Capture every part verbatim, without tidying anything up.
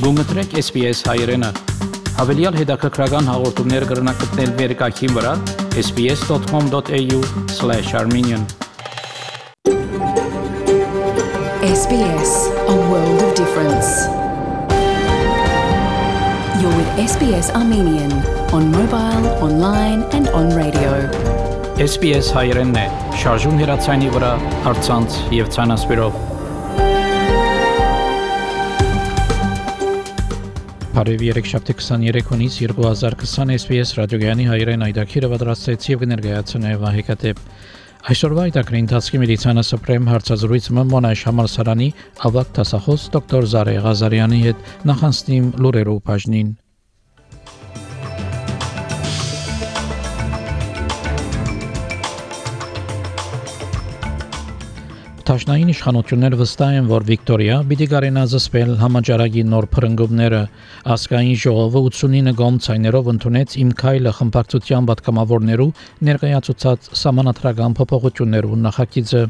Գումտրեք S B S հայերեն։ Հավելյալ հետաքրքրական հաղորդումներ կգրնակցնել վերկայքին վրա s b s dot com dot a u slash armenian S B S, a world of difference. You're with S B S Armenian on mobile, online and on radio. S B S հայերենն է, շարժուն հեռացայինի վրա, առցանց եւ ցանասպիրով։ Բարև երեքշաբթի քսաներեք հունիս երկու հազար քսան S B S ռադիոգյանի հայերեն այդակիրը պատրաստեց եւ կներկայացնե Վահեկատեպ։ Այսօրվա այդակրի ընթացքի մեդիցինա սպրեմ հարցազրույցը Մոնաշ համալսարանի ավագ դասախոս դոկտոր Զարե Ղազարյանի հետ նախանցնիմ լուրերով բաժնին։ Տաշնային իշխանությունները վստահ են, որ Վիկտորիա պիտի կարենա զսպել համաճարակի նոր փրկումները։ Ասկային ժողովը ութսունինը գոմցայներով ընդունեց իմ քայլը խմբակցության պատգամավորներու ներկայացուցած սահմանադրական փոփոխություններու նախագիծը։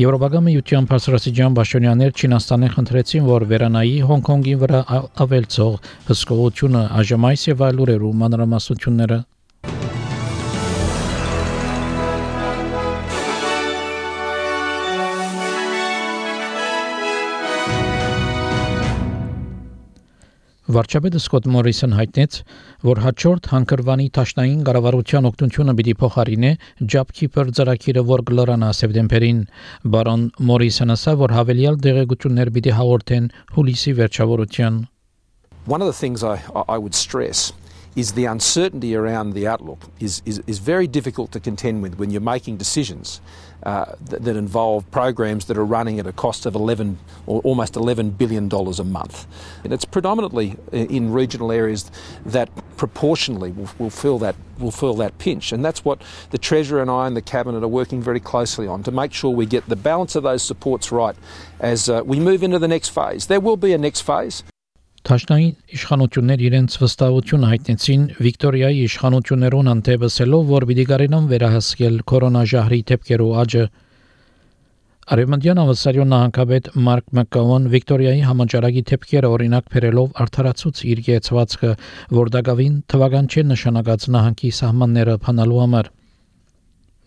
Եվրոպական միության բարձրաստիճան պաշտոնյաներ Չինաստանին խնդրեցին, որ վերանայի Հոնկոնգի վրա ավելցող հսկողությունը այժմայս եւ այլ ուրերու մանրամասնությունները։ Վարչապետը Սկոտ Մորիսոն հայտնեց, որ հաջորդ հանգրվանի տաշնային կառավարության օգնությունը պիտի փոխարինե JobKeeper ծրագիրը, որ կլրանա սեպտեմբերին։ Բարոն Մորիսոնը ասա, որ հավելյալ դեղեցություններ պիտի հաղորդեն հուլիսի վերջավորության։ One of the things I, I would stress is the uncertainty around the outlook is, is, is very difficult to contend with when you're making decisions uh, that, that involve programs that are running at a cost of eleven or almost eleven billion dollars a month. And it's predominantly in regional areas that proportionally will, will feel that will feel that pinch. And that's what the Treasurer and I and the Cabinet are working very closely on to make sure we get the balance of those supports right as uh, we move into the next phase. There will be a next phase. Տաշնային իշխանություններ իրենց վստահություն հայտնեցին Վիկտորիայի իշխանություններուն անտեպսելով, որ պիտի կարենան վերահսկել կորոնաժահրի դեպքերու աճը։ Արևմտյան Ավստրալիան նահանգապետ Մարկ Մակկաուն Վիկտորիայի համաճարակի դեպքերը օրինակ բերելով արդարացուց իր գեցվածքը, որ դակավին թվական չէ նշանակած նահանգի սահմանները փանալու համար։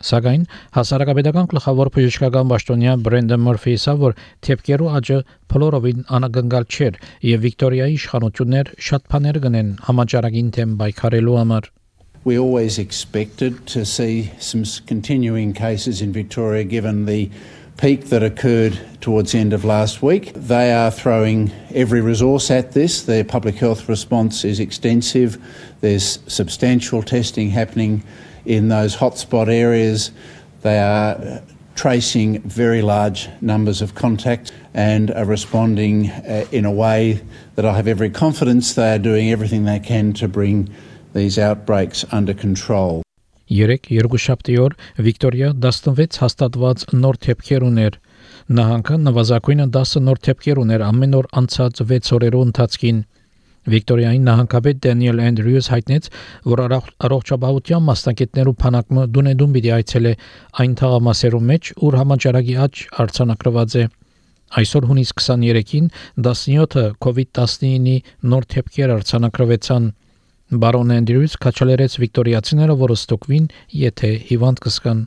Սակայն հասարակապետական գլխավոր բժշկական պաշտոնյա Բրենդեն Մորֆի ասա, որ դեպքերու աճը փլորովին անագնկալ չէր եւ Վիկտորիայի իշխանություններ շատ բաներ կնեն համաճարակին դեմ պայքարելու համար։ We always expected to see some continuing cases in Victoria given the peak that occurred towards the end of last week. They are throwing every resource at this. Their public health response is extensive. There's substantial testing happening in those hotspot areas. They are tracing very large numbers of contacts and are responding uh, in a way that I have every confidence they are doing everything they can to bring these outbreaks under control. Երեք երկուշաբթի օր Վիկտորիա տասնվեց հաստատված նոր դեպքեր ուներ։ Նահանգը նվազագույնը դասը նոր դեպքեր ուներ ամեն օր անցած վեց օրերու ընթացքին։ Վիկտորիայի նահանգապետ Դենիել Անդրյուս հայտնեց, որ առողջապահության մասնակիցներու փանակը դունեդուն պիտի այցելե այն թաղամասերու մեջ, ուր համաճարակի աճ արձանագրված է։ Այսօր հունիս քսաներեքին տասնյոթը COVID nineteen-ի նոր դեպքեր արձանագրվեցան։ Բարոն Անդրյուս քաչալերեց վիկտորիացիները, որ ստուգվին, եթե հիվանդ կսկան։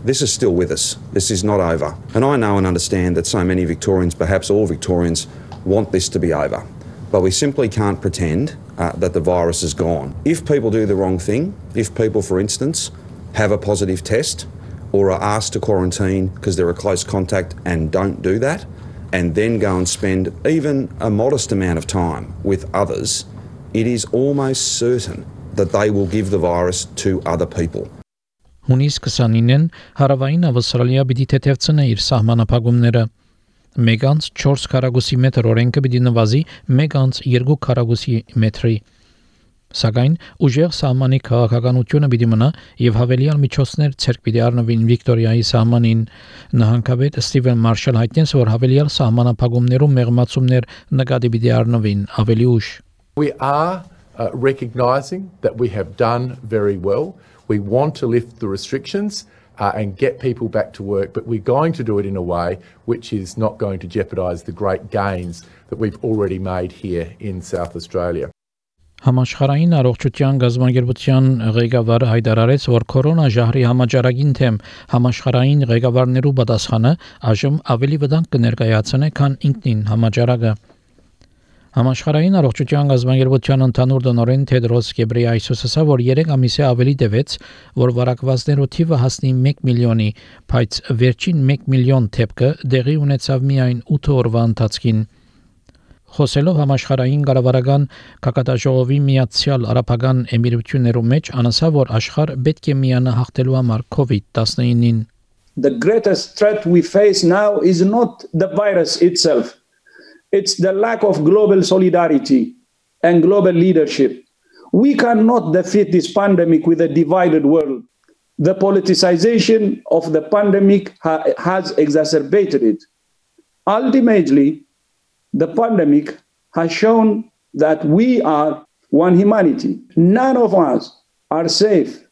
This is still with us. This is not over. And I know and understand that so many Victorians, perhaps all Victorians, want this to be over. But we simply can't pretend uh, that the virus is gone. If people do the wrong thing, if people, for instance, have a positive test or are asked to quarantine because they're a close contact and don't do that, and then go and spend even a modest amount of time with others, it is almost certain that they will give the virus to other people. Հունիս քսանինին հարավային Ավստրալիա պիտի թեթևցնե իր սահմանափակումները։ մեկ անց չորս քառակուսի մետր օրենքը պիտի նվազի մեկ անց երկու քառակուսի մետրի։ Սակայն ուժեղ սահմանի քաղաքականությունը պիտի մնա եւ հավելյալ միջոցներ ցերկ պիտի առնվին Վիկտորիայի սահմանին։ Նահանգապետ Ստիվեն Մարշալ հայտնեց, որ հավելյալ սահմանափակումներու մեղմացումներ նկատի պիտի առնվին ավելի ուշ։ We are uh, recognising that we have done very well. We want to lift the restrictions uh, and get people back to work, but we're going to do it in a way which is not going to jeopardise the great gains that we've already made here in South Australia. Համաշխարհային առողջության գազագերբության ղեկավարը հայտարարեց, որ կորոնաժահրի համաճարակին թեմ համաշխարհային ղեկավարներու պատասխանը այժմ ավելի վտանգ կներկայացնե, քան ինքնին համաճարակը։ Համաշխարհային առողջության գազագերբության ընդհանուր տնօրեն Թեդրոս Գեբրեյեսուսը ասա, որ երեք ամիս է ավելի տևեց, որ վարակվածներու թիվը հասնի մեկ միլիոնի, բայց վերջին մեկ միլիոն դեպքը դեղի ունեցավ միայն ութ օրվա ընթացքին։ Խոսելով համաշխարհային կառավարական կակատաժողովի Միացյալ Արաբական Էմիրություններու մեջ, անասա, որ աշխարհ պետք է միանա հաղթելու համար COVID nineteen-ին. The greatest threat we face now is not the virus itself. It's the lack of global solidarity and global leadership. We cannot defeat this pandemic with a divided world. The politicization of the pandemic ha- has exacerbated it. Ultimately, the pandemic has shown that we are one humanity. None of us are safe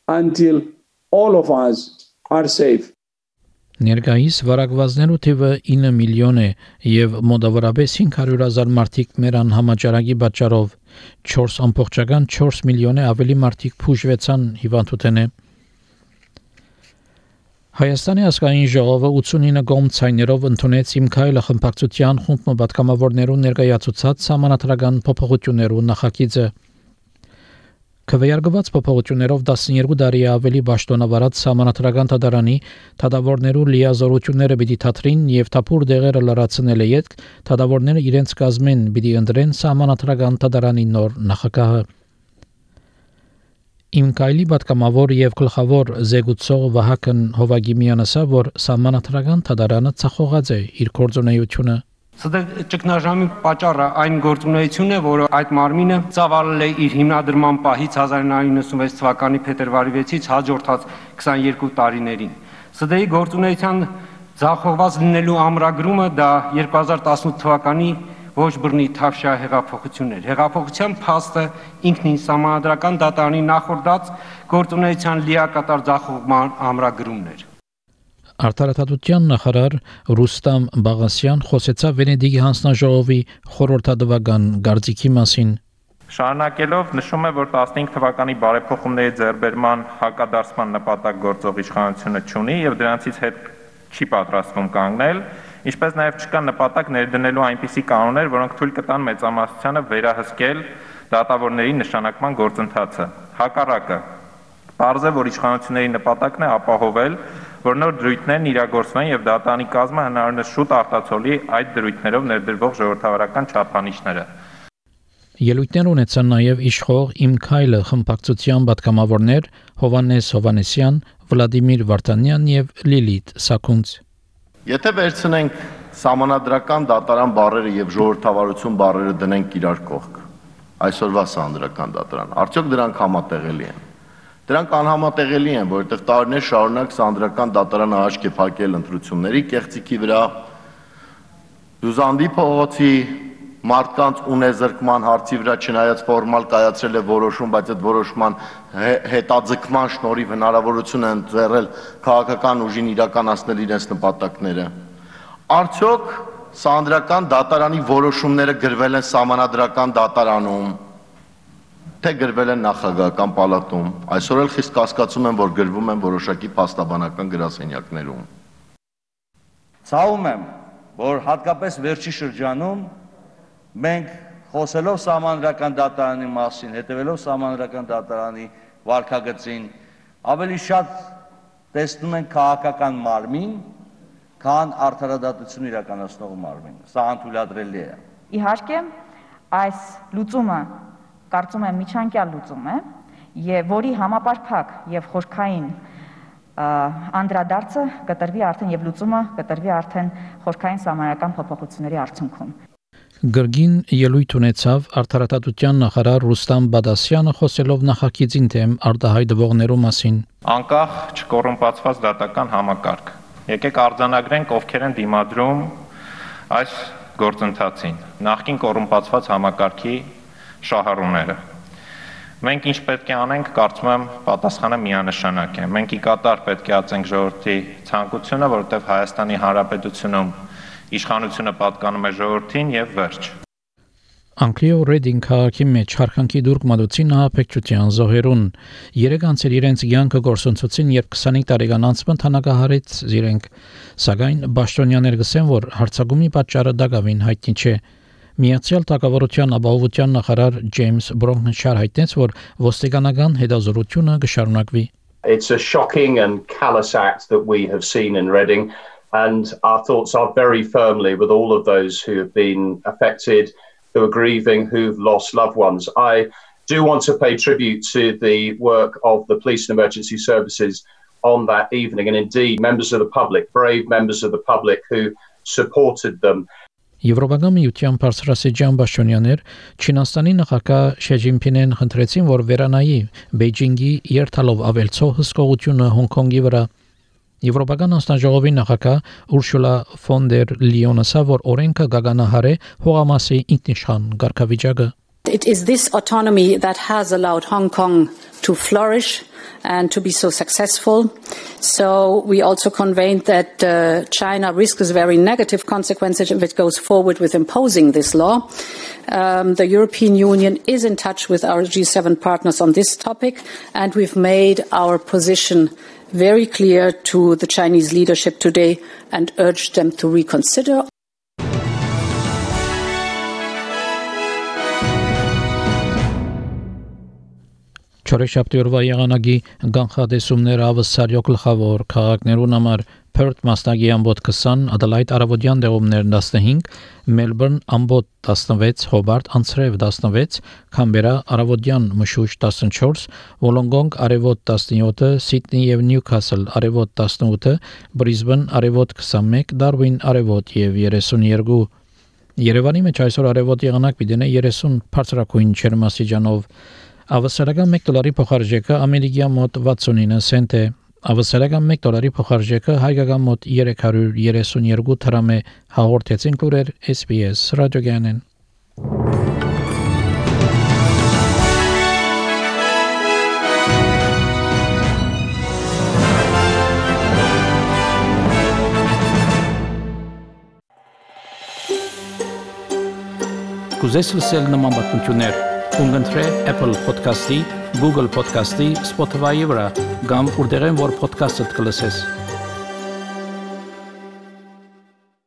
until all of us are safe. Ներկայիս վարակվածներու թիվը ինը միլիոն է եւ մոտավորապես cinq hundred thousand մարդիկ մեր անհամաճարակի պատճառով four point four միլիոն է ավելի մարդիկ փուժվեցան հիվանդութենե։ Հայաստանի ազգային ժողովը eighty-nine կողմցայներով ընդունեց Իմ քայլը խմբակցության խումբ պատգամավորներու ներկայացուցած համանատրական փոփոխություններու նախագիծը։ Քվեարկված փոփոխություններով twelve տարի ավելի պաշտոնավարած համանատրական դատարանի դատավորներու լիազորությունները պիտի թատրին եւ թափուր դեղերը լրացնել է յետք դատավորները իրենց կազմեն պիտի ընտրեն համանատրական դատարանի նոր նախագահը։ Իմ քայլի պատգամավոր եւ գլխավոր զեկուցող Վահագն Հովագիմյանը ասա, որ համանատրական դատարանը ցախողած է իր գործունեությունը։ Սա ճգնաժամի պատճառը այն գործունեությունն է, որը այդ մարմինը ծավալել է իր հիմնադրման պահից nineteen ninety-six թվականի փետրվարի sixth-ից հաջորդած twenty-two տարիներին։ ՍԴ-ի գործունեության ցախողված լինելու ամրագրումը դա twenty eighteen թվականի ոչ բռնի թավշյա հեղափոխություններ։ Հեղափոխության փաստը ինքնին համանդրական դատարանի նախորդած գործունեության լիակատար ցախողման ամրագրումն էր։ Արտարադատության նախարար Ռուստամ Բաղասյան խոսեցավ Վենեդիգի հանձնաժողովի խորհրդատվական գարծիքի մասին։ Շարունակելով նշում է, որ fifteen թվականի բարեփոխումների ձեռբերման հակադարձման նպատակ գործող իշխանությունը չունի եւ դրանցից հետ չի պատրաստվում կանգնել, ինչպես նաեւ չկա նպատակ ներդնելու այնպիսի կանոններ, որոնք թույլ կտան մեծամասնությանը վերահսկել դատավորների նշանակման գործընթացը։ Հակառակը, պարզ է, որ իշխանությունների նպատակն է ապահովել, որ նոր դրույթներն իրագործվեն եւ դատարանի կազմը հնարավորինս շուտ արտացոլի այդ դրույթներով ներդրվող ժողովրդավարական չափանիշները։ Ելույթներ ունեցան նաև իշխող Իմ քայլը խմբակցության պատգամավորներ Հովանես Հովանեսյան, Վլադիմիր Վարդանյան եւ Լիլիթ Սաքունց։ Եթե վերցնենք համանadrական դատարան բառերը եւ ժողովրդավարություն բառերը դնենք իրար կողք, այսօրվա սահմանադրական դատարան, արդյոք դրանք համատեղելի են։ Դրանք անհամատեղելի են, որովհետեւ տարիներ շարունակ սահմանադրական դատարանը աչք է փակել ընտրությունների կեղծիքի վրա, Դուզանդի փողոցի մարդկանց ունեզրկման հարցի վրա չնայած ֆորմալ կայացրել է որոշում, բայց այդ որոշման հետաձգման շնորհիվ հնարավորություն են ձեռել քաղաքական ուժին իրականացնել իրենց նպատակները։ Արդյոք սահմանադրական դատարանի որոշումները գրվել են սահմանադրական դատարանում, թե գրվել են նախագահական պալատում, այսօր էլ խիստ կասկածում եմ, որ գրվում են որոշակի փաստաբանական գրասենյակներում։ Ցավում եմ, որ հատկապես վերջի շրջանում մենք խոսելով սահմանադրական դատարանի մասին, հետևելով սահմանադրական դատարանի վարքագծին, ավելի շատ տեսնում ենք քաղաքական մարմին, քան արդարադատություն իրականացնող մարմին։ Սա անթույլատրելի է։ Իհարկե, այս լուծումը կարծում եմ միջանկյալ լուծում է, եւ որի համապարփակ եւ խորքային անդրադարձը կտրվի արդեն եւ լուծումը կտրվի արդեն խորքային սահմանական փոփոխությունների արդյունքում։ Գրգին ելույթ ունեցավ արտարադատության նախարար Ռուստամ Բադասյանը խոսելով նախագիծին թեմ արտահայտվողներու մասին։ Անկախ չկոռումպացված դատական համակարգ։ Եկեք արձանագրենք ովքեր են դիմադրում այս գործընթացին։ Նախկին կոռումպացված համակարգի շահառուները։ Մենք ինչ պետք է անենք, կարծում եմ, պատասխանը միանշանակ է։ Մենք ի կատար պետք է ածենք ժողովրդի ցանկությունը, որովհետև Հայաստանի Հանրապետությունում իշխանությունը պատկանում է ժողովրդին եւ վերջ։ Անգլիո Ռեդինգ քաղաքի մեջ հարկանքի դուրք մատուցին նահապեկչության զոհերուն։ Երեք անձեր իրենց կյանքը գործընծուցին, երբ քսանհինգ տարեկան անձը թանագահարեց իրենք, սակայն Բաշտոնյաներ գսեն, որ հարցակումի պատճառը դակավին հայտնի չէ։ Միացյալ Թագավորության ապահովության նախարար Ջեյմս Բրոնքնշար հայտնեց, որ ոստիկանական հետազոտությունը կշարունակվի։ It's a shocking and callous act that we have seen in Reading, and our thoughts are very firmly with all of those who have been affected, who are grieving, who've lost loved ones. I do want to pay tribute to the work of the police and emergency services on that evening, and indeed members of the public, brave members of the public who supported them. Եվրոպական միության բարձրաստիճան պաշտոնյաներ Չինաստանի նախագահ Շի Ջինփինին խնդրեցին, որ վերանայի Բեյջինգի երթալով ավելցող հսկողությունը Հոնկոնգի վրա։ Եվրոպական անձնաժողովի նախագահ Ուրշուլա ֆոն դեր Լիոնը ասա, որ օրենքը գագանահար է հողամասի ինքնիշխան կարգավիճակը։ It is this autonomy that has allowed Hong Kong to flourish and to be so successful. So we also conveyed that uh, China risks very negative consequences if it goes forward with imposing this law. Um, the European Union is in touch with our G seven partners on this topic, and we've made our position very clear to the Chinese leadership today and urged them to reconsider. Չորեքշաբթի օրվա եղանակի գանխատեսումները ավսարյո գլխավոր քաղաքներուն համար Perth մասնագի ամբոտ քսան, Adelaide արևոդյան դեղումներ տասնհինգ, Melbourne ամբոտ տասնվեց, Hobart անցրև տասնվեց, Canberra արևոդյան մշուշ տասնչորս, Wollongong արևոտ տասնյոթ, Sydney եւ Newcastle արևոտ տասնութ, Brisbane արևոտ քսանմեկ, Darwin արևոտ եւ երեսունյոթ։ Երևանի մեջ այսօր արևոտ եղանակ պիտի երեսուն բարձրակույն ջերմաստիճանով։ Ավսարական մեկ դոլարի փոխարժեքը ամերիկյան մոտ վաթսունինը سنت է։ Ավսարական մեկ դոլարի փոխարժեքը հայկական մոտ երեք հարյուր երեսունյոթ դրամ է։ Հաղորդեցին լուրեր S B S ռադիոգյանեն։ Կուզես լսել նման բանություններ Ունգընտրե Apple Podcast-ի, Google Podcast-ի, Spotify-ի վրա, կամ որտեղեն որ podcast-ըդ կլսես։